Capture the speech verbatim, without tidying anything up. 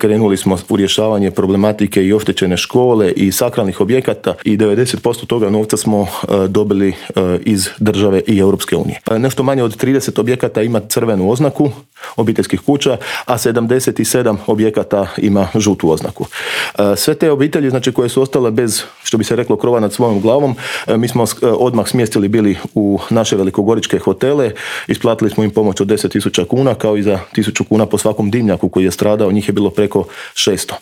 Krenuli smo u rješavanje problematike i oštećene škole i sakralnih objekata i devedeset posto toga novca smo dobili iz države i Europske unije. Nešto manje od trideset objekata ima crvenu oznaku obiteljskih kuća, a sedamdeset sedam objekata ima žutu oznaku. Sve te obitelji, znači, koje su ostale bez, što bi se reklo, krova nad svojom glavom, mi smo odmah smjestili bili u naše velikogoričke hotele, isplatili smo im pomoć od deset tisuća kuna, kao i za tisuću kuna po svakom dimnjaku koji je stradao, njih je bilo preko šesto.